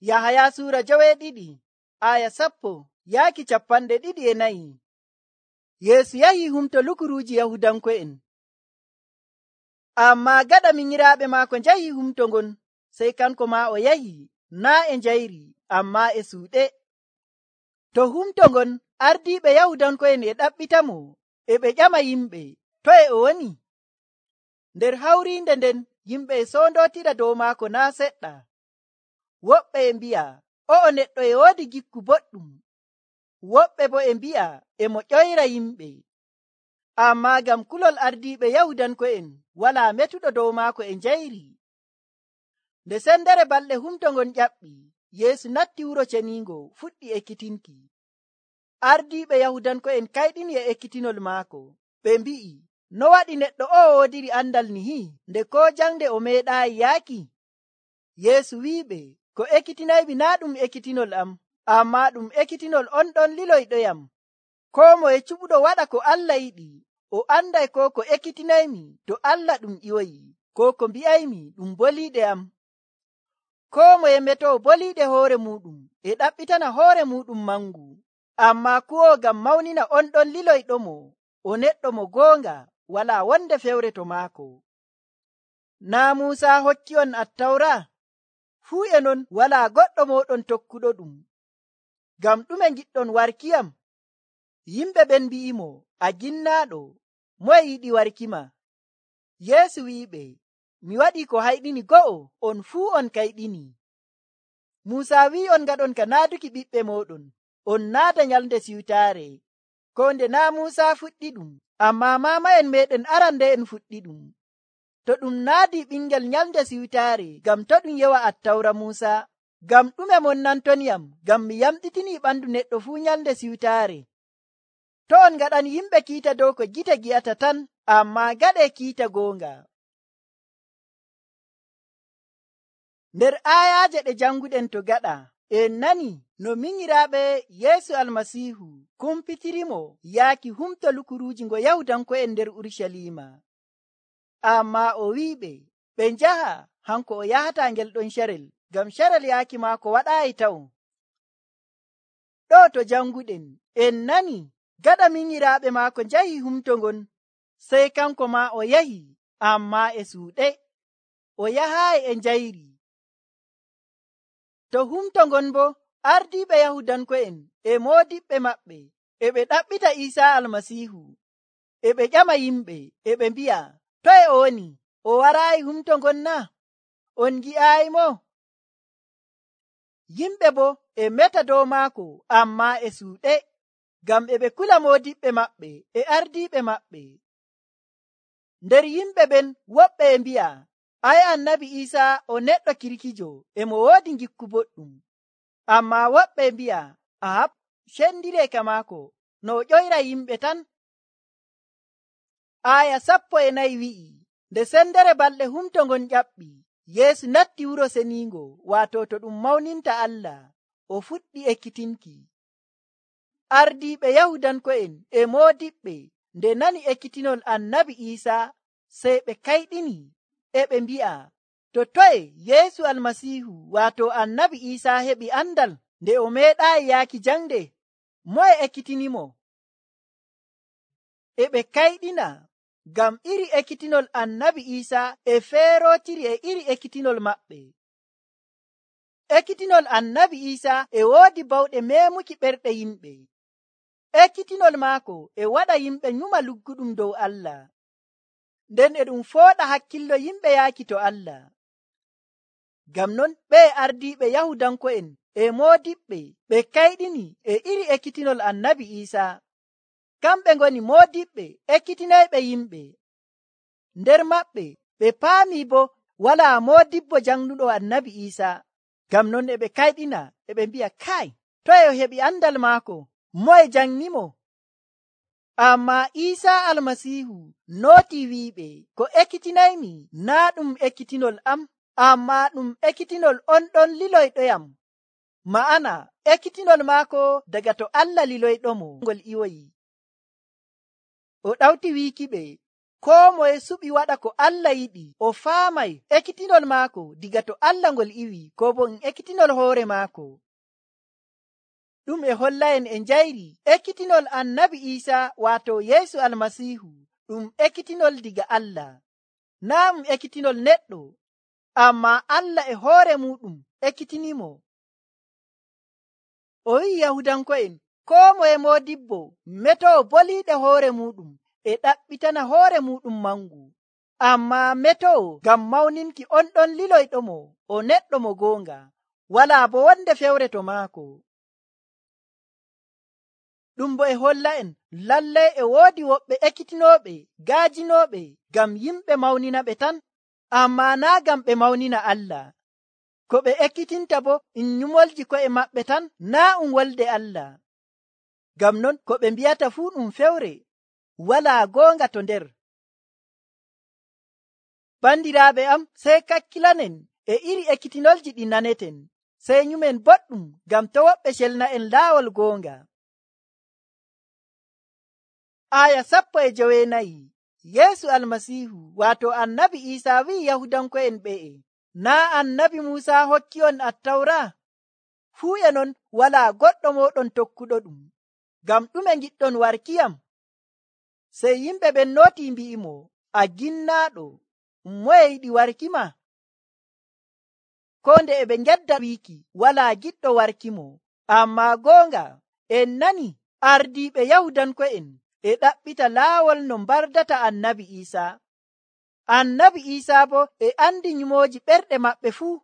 Yahaya Suura 12:10-24. Yeesu yahi humto lukuruuji Yahudanko'en. Ammaa gaɗa minyiraaɓe maako njahi humto ngon, sey kanko maa o yahi, naa e njayri, ammaa e suuɗe. To humto ngon ardiiɓe Yahudanko'en e ɗaɓɓitamo, e ɓe ƴama yimɓe, toye o woni? Nder hawriinde nden yimɓe e soondootira dow maako naa seɗɗa. Woɓɓe e mbi'a, o'o neɗɗo e woodi gikku boɗɗum. Woɓɓe bo e mbi'a e mo ƴoyra yimɓe. Ammaa ngam kulol ardiiɓe Yahudanko'en walaa metuɗo dow maako e njayri. Nde sendere balɗe humto ngon ƴaɓɓi, Yeesu natti wuro ceniingo fuɗɗi ekkitinki. Ardiiɓe Yahudanko'en kayɗini e ekkitinol maako. Ɓe mbi'i, no waɗi neɗɗo o'o woodiri andal nihi, nde koo jangde o meeɗaayi yaaki? Yeesu wi'iɓe, ko ekkitinaymi naa ɗum ekkitinol am, ammaa ɗum ekkitinol on ɗon liloyɗoyam. Koo moye cuɓuɗo waɗa ko Allah yiɗi, o anday koo ko ekkitinaymi to Allah ɗum ƴiwoyi, koo ko mbi'aymi ɗum boliiɗe am. Koo moye metoo boliiɗe hoore muuɗum e ɗaɓɓitana hoore muuɗum mangu, ammaa kuwoo ngam mawnina on ɗon liloyɗomo, o neɗɗo mo goonga, walaa wonde fewre to maako. Naa Muusa hokki on Attawra? Fuu e non walaa goɗɗo mooɗon tokkuɗo ɗum. Ngam ɗume ngiɗɗon warkiyam? Yimɓe ɓen mbi'imo, a ginnaaɗo, moye yiɗi warkima? Yeesu wi'iɓe, mi waɗii ko hayɗini go'o, on fuu on kayɗini. Muusa wi'i on ngaɗon ka naaduki ɓiɓɓe mooɗon, on naada Nyalnde Siwtaare. Ko nde naa Muusa fuɗɗi ɗum, ammaa maama'en meeɗen arande'en fuɗɗi ɗum. To ɗum naadii ɓingel Nyalnde Siwtaare, ngam to ɗum yewa Attawra Muusa? Ngam ɗume monnantoniyam, ngam mi yamɗitinii ɓandu neɗɗo fuu Nyalnde Siwtaare? To on ngaɗani yimɓe kiita dow ko gite gi'ata tan, ammaa gaɗee kiita goonga. Nder aayaaje ɗe janguɗen to gaɗa, en nani no minyiraaɓe Yeesu Almasiihu kumpitirimo yaaki humto lukuruuji ngo Yahudanko'en nder Urucaliima. Ammaa o wi'iɓe ɓe njaha hanko o yahataa ngel ɗon carel, ngam carel yaaki maako waɗaayi taw. Ɗo to janguɗen, en nani gaɗa minyiraaɓe maako njahi humto ngon, sey kanko maa o yahi, ammaa e suuɗe. O yahaayi e njayri. To humto ngon bo ardiiɓe Yahudanko'en e moodiɓɓe maɓɓe e ɓe ɗaɓɓita Iisaa Almasiihu, e ɓe ƴama yimɓe, e ɓe mbi'a, toye o woni? O waraayi humto ngon na? On ngi'aayimo? Yimɓe bo e meta dow maako, ammaa e suuɗe, ngam e ɓe kula moodiɓɓe maɓɓe e ardiiɓe maɓɓe. Nder yimɓe ɓen woɓɓe e mbi'a, ay Annabi Iisaa o neɗɗo kirkijo, e mo woodi gikku boɗɗum. Ammaa woɓɓe e mbi'a, ahab, cendiree ka maako, no o ƴoyra yimɓe tan. Aaya 14 wi'i, nde sendere balɗe humto ngon ƴaɓɓi, Yeesu natti wuro seniingo, waato to ɗum mawninta Allah, o fuɗɗi ekkitinki. Ardiiɓe Yahudanko'en e moodiɓɓe nde nani ekkitinol Annabi Iisaa, sey ɓe kayɗini, e ɓe mbi'a, to toye Yeesu Almasiihu, waato Annabi Iisaa heɓi andal nde o meeɗaayi yaaki jangde? Moye ekkitinimo? E ɓe kayɗina, ngam iri ekkitinol Annabi Iisaa e feerootiri e iri ekkitinol maɓɓe. Ekkitinol Annabi Iisaa e woodi bawɗe meemuki ɓerɗe yimɓe. Ekkitinol maako e waɗa yimɓe nyuma lugguɗum dow Allah. Nden e ɗum fooɗa hakkillo yimɓe yaaki to Allah. Ngam non ɓe ardiiɓe Yahudanko'en e moodiɓɓe ɓe kayɗini e iri ekkitinol Annabi Iisaa. Kamɓe ngoni moodiɓɓe ekkitinayɓe yimɓe. Nder maɓɓe ɓe paami bo walaa moodibbo jangnuɗo Annabi Iisaa. Ngam non e ɓe kayɗina, e ɓe mbi'a, kay, toye o heɓi andal maako? Moye jangnimo? Ammaa Iisaa Almasiihu nooti wi'iɓe, ko ekkitinaymi naa ɗum ekkitinol am, ammaa ɗum ekkitinol on ɗon liloyɗoyam. Ma'ana ekkitinol maako daga to Allah liloyɗomo ngol ƴiwoyi. O ɗawti wiikiɓe, koo moye suɓi waɗa ko Allah yiɗi o faamay ekkitinol maako diga to Allah ngol iwi ko bo ekkitinol hoore maako. Ɗum e holla en e njayri ekkitinol annabi Iisa waato Yeesu almasiihu ɗum ekkitinol diga Allah, naa ɗum ekkitinol neɗɗo, amma Allah e hoore muɗum ekkitinimo. O wi'i Yahudanko'en koo moye moodibbo metoo boliiɗe hoore muɗum e ɗaɓɓitana hoore muɗum mangu, amma metoo ngam mawninki on ɗon liloyɗomo o neɗɗo mo goonga, walaa bo wonde fewre to maako. Ɗum bo e holla en lallay e woodi woɓɓe ekkitinooɓe gaajinooɓe ngam yimɓe mawnina ɓe tan, amma naa ngam ɓe mawnina Allah. Ko ɓe ekkitinta bo nyumolji ko'e maɓɓe tan, naa wolde Allah. Ngam non ko ɓe mbi'ata fuu ɗum fewre, walaa goonga to nder. Bandiraaɓe am, sey kakkilanen e iri ekkitinolji ɗi naneten, sey nyumen boɗɗum ngam to woɓɓe celna'en laawol goonga. Aya 14 Yeesu almasiihu waato annabi Iisaa wi'i Yahudanko'en ɓe'e, naa annabi Muusaa hokki on Attawra? Fuu e non walaa goɗɗo mooɗon tokkuɗo ɗum. Ngam ɗume ngiɗɗon warkiyam? Sey yimɓe ɓen nootii mbi'imo, a ginnaaɗo, moye yiɗi warkima? Ko nde e ɓe ngedda wiiki walaa giɗɗo warkimo. Amma goonga en nani ardiiɓe Yahudanko'en e ɗaɓɓita laawol no mbardata annabi Iisaa. Annabi Iisaa bo e andi nyumooji ɓerɗe maɓɓe fuu.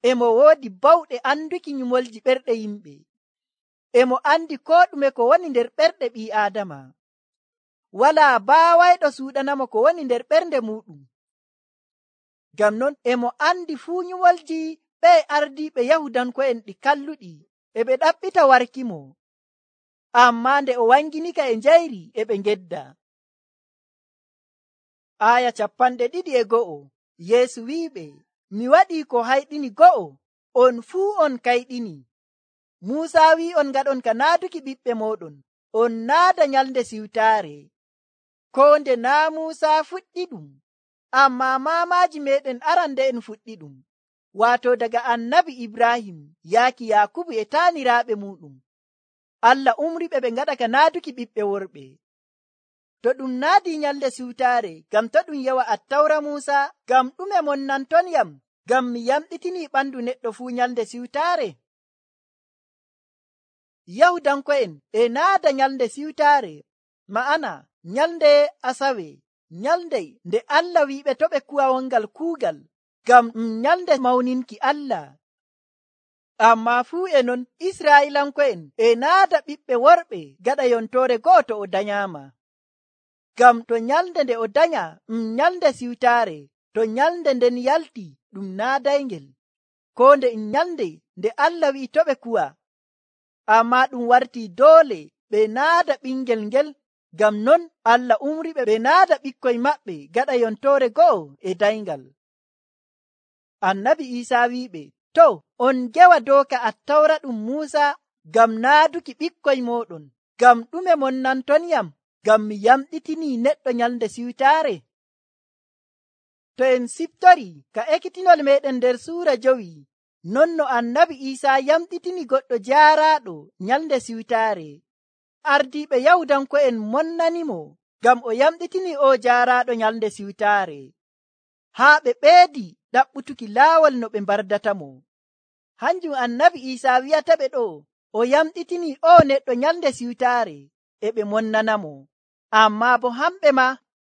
Emo woodi bawɗe anduki nyumolji ɓerɗe yimɓe. Emo andi koo ɗume ko woni nder ɓerɗe ɓii Aadama. Walaa baawayɗo suuɗanamo ko woni nder ɓernde muɗum. Ngam non emo andi fuu nyumolji ɓe ardiiɓe Yahudanko'en ɗi kalluɗi e ɓe ɗaɓɓita warkimo. Amma nde o wanginika e njayri e ɓe ngedda. Aya 21 Yeesu wi'iɓe, mi waɗii ko hayɗini go'o, on fuu on kayɗini. Muusaa wi'i on ngaɗon ka naaduki ɓiɓɓe mooɗon, on naada nyalnde siwtaare. Ko nde naa Muusaa fuɗɗi ɗum, amma maamaaji meɗen arande'en fuɗɗi ɗum, waato daga annabi Ibrahim yaaki Yaakubu e taaniraaɓe muɗum. Allah umriɓe ɓe ngaɗa ka naaduki ɓiɓɓe worɓe. To ɗum naadi nyalnde siwtaare, ngam to ɗum yewa Attawra Muusaa, ngam ɗume monnantonyam ngam mi yamɗitinii ɓandu neɗɗo fuu nyalnde siwtaare? Yahudanko'en e naada nyalnde siwtaare, ma'ana nyalnde Asawe, nyalnde nde Allah wi'iɓe to ɓe kuwa wongal kuugal, ngam nyalnde mawninki Allah. Amma fuu e non Israa'ilanko'en e naada ɓiɓɓe worɓe gaɗa yontoore go'o to o danyaama. Ngam to nyalnde nde o danya nyalnde siwtaare, to nyalnde nden yalti ɗum naadayngel, ko nde nyalnde nde Allah wi'i to ɓe kuwa. Amma ɗum wartii doole ɓe naada ɓingel ngel, ngam non Allah umriɓe ɓe naada ɓikkoy maɓɓe gaɗa yontoore go'o e dayngal. Annabi Iisaa wi'iɓe, to on gewa dooka Attawra ɗum Muusaa ngam naaduki ɓikkoy mooɗon, ngam ɗume monnantonyam ngam mi yamɗitinii neɗɗo nyalnde siwtaare? To en siftori ka ekkitinol meɗen nder suura 5, non no annabi Iisaa yamɗitini goɗɗo jaaraaɗo nyalnde siwtaare. Ardiiɓe Yahudanko'en monnanimo ngam o yamɗitini o jaaraaɗo nyalnde siwtaare, haa ɓe ɓeedi ɗaɓɓutuki laawol no ɓe mbardatamo. Hanjum annabi Iisaa wi'ata ɓe ɗo, o yamɗitini o neɗɗo nyalnde siwtaare e ɓe monnanamo. Amma bo hamɓe ma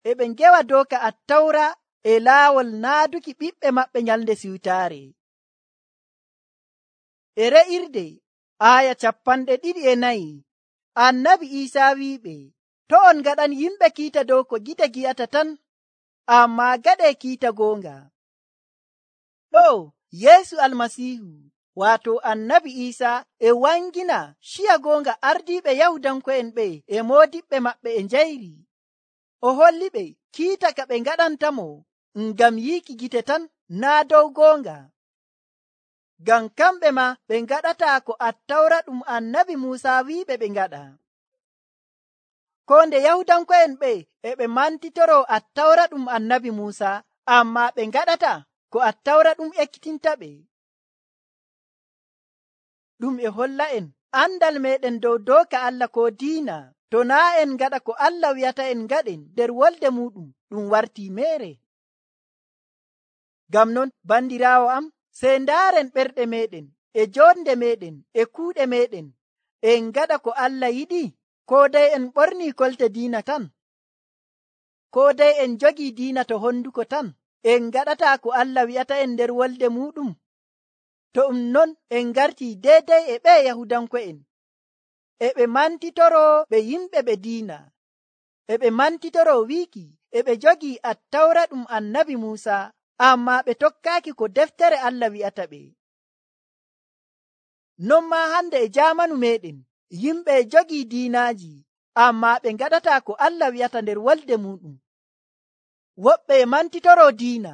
e ɓe ngewa dooka Attawra e laawol naaduki ɓiɓɓe maɓɓe nyalnde siwtaare. E re'irde aya 24 annabi Iisaa wi'iɓe, to on ngaɗan yimɓe kiita dow ko gite gi'ata tan, amma gaɗe kiita goonga. Ɗo Yeesu almasiihu waato annabi Iisaa e wangina ciya goonga ardiiɓe Yahudanko'en ɓe e moodiɓɓe maɓɓe e njayri. O holli ɓe kiita ka ɓe ngaɗantamo ngam yiiki gite tan, naa dow goonga. Ngam kamɓe ma ɓe ngaɗata ko Attawra ɗum annabi Muusaa wi'iɓe ɓe ngaɗa. ko nde Yahudanko'en ɓe e ɓe mantitoro Attawra ɗum Annabi Muusa, amma ɓe ngaɗata ko Attawra ɗum ekkitinta ɓe. Ɗum e holla en andal meɗen dow dooka Allah ko diina. To naa en ngaɗa ko Allah wi'ata en ngaɗen nder wolde muɗum, ɗum wartii meere. Ngam non, bandiraawo am, sey ndaaren ɓerɗe meɗen e jonde meɗen e kuuɗe meɗen en ngaɗa ko Allah yiɗi, ko dai en ɓornii kolte diina tan, ko dai en jogii diina to honduko tan, en ngaɗataa ko Allah wi'ata en nder wolde muɗum. To non en ngartii deedey e ɓe Yahudanko'en, e ɓe mantitoro ɓe yimɓe ɓe diina, e ɓe mantitoro wiiki e ɓe jogii Attawra ɗum Annabi Muusa, amma ɓe tokkaaki ko deftere Allah wi'ata ɓe. Non maa hande e jaamanu meɗen, yimɓe e jogii diinaaji, amma ɓe ngaɗataa ko Allah wi'ata nder wolde muɗum. Woɓɓe e mantitoro diina,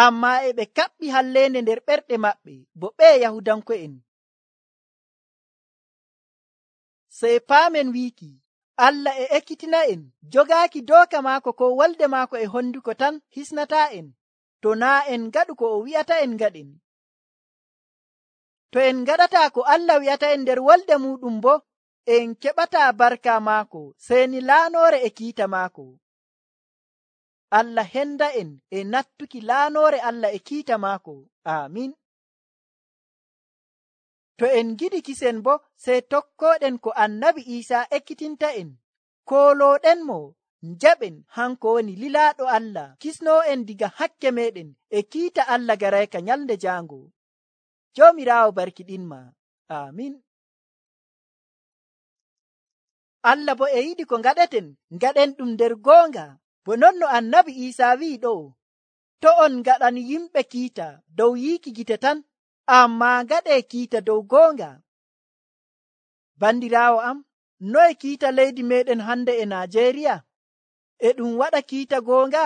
amma e ɓe kaɓɓi halleende nder ɓerɗe maɓɓe, bo ɓe Yahudanko'en. Sey paamen wiiki Allah e ekkitina en jogaaki dooka maako ko wolde maako e honduko tan hisnataa en, to naa en ngaɗu ko o wi'ata en ngaɗen. To en ngaɗataa ko Allah wi'ata en nder wolde muɗum bo, en keɓataa barka maako sey ni laanoore e kiita maako. Allah henda en e nattuki laanoore Allah e kiita maako. Amin. To en giɗi kisen bo, sey tokkooɗen ko Annabi Iisaa ekkitinta en, koolooɗenmo njaɓen hanko woni lilaaɗo Allah, kisnoo'en diga hakke meɗen e kiita Allah garayka nyalnde jaango. Joomiraawo barkiɗinma. Amin. Allah bo e yiɗi ko ngaɗeten, ngaɗen ɗum nder goonga, bo non no Annabi Iisaa wi'i ɗo, to on ngaɗani yimɓe kiita dow yiiki gite tan, amma ngaɗee kiita dow goonga. Bandiraawo am, noye kiita leydi meɗen hande e Najeriya? E ɗum waɗa kiita goonga?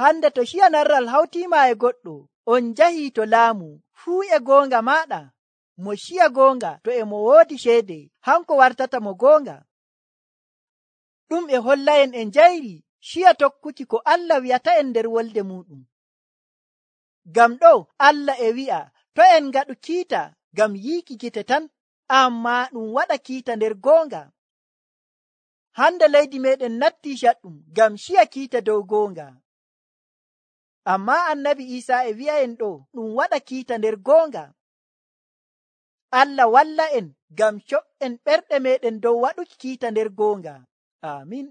Hande to ciyanarral hawtiima e goɗɗo, on njahii to laamu, fuu e goonga maaɗa. Mo ciya goonga to e mo woodi ceede, hanko wartata mo goonga. Ɗum e holla en e njayri ciya tokkuki ko Allah wi'ata en nder wolde muɗum. Ngam ɗo Allah e wi'a to en ngaɗu kiita ngam yiiki gite tan, amma ɗum waɗa kiita nder goonga. Hande leydi meɗen nattii caɗɗum ngam ciya kiita dow goonga. Amma Annabi Iisaa e wi'a en ɗo ɗum waɗa kiita nder goonga. Allah walla en ngam co'en ɓerɗe meɗen dow waɗuki kiita nder goonga. Amin.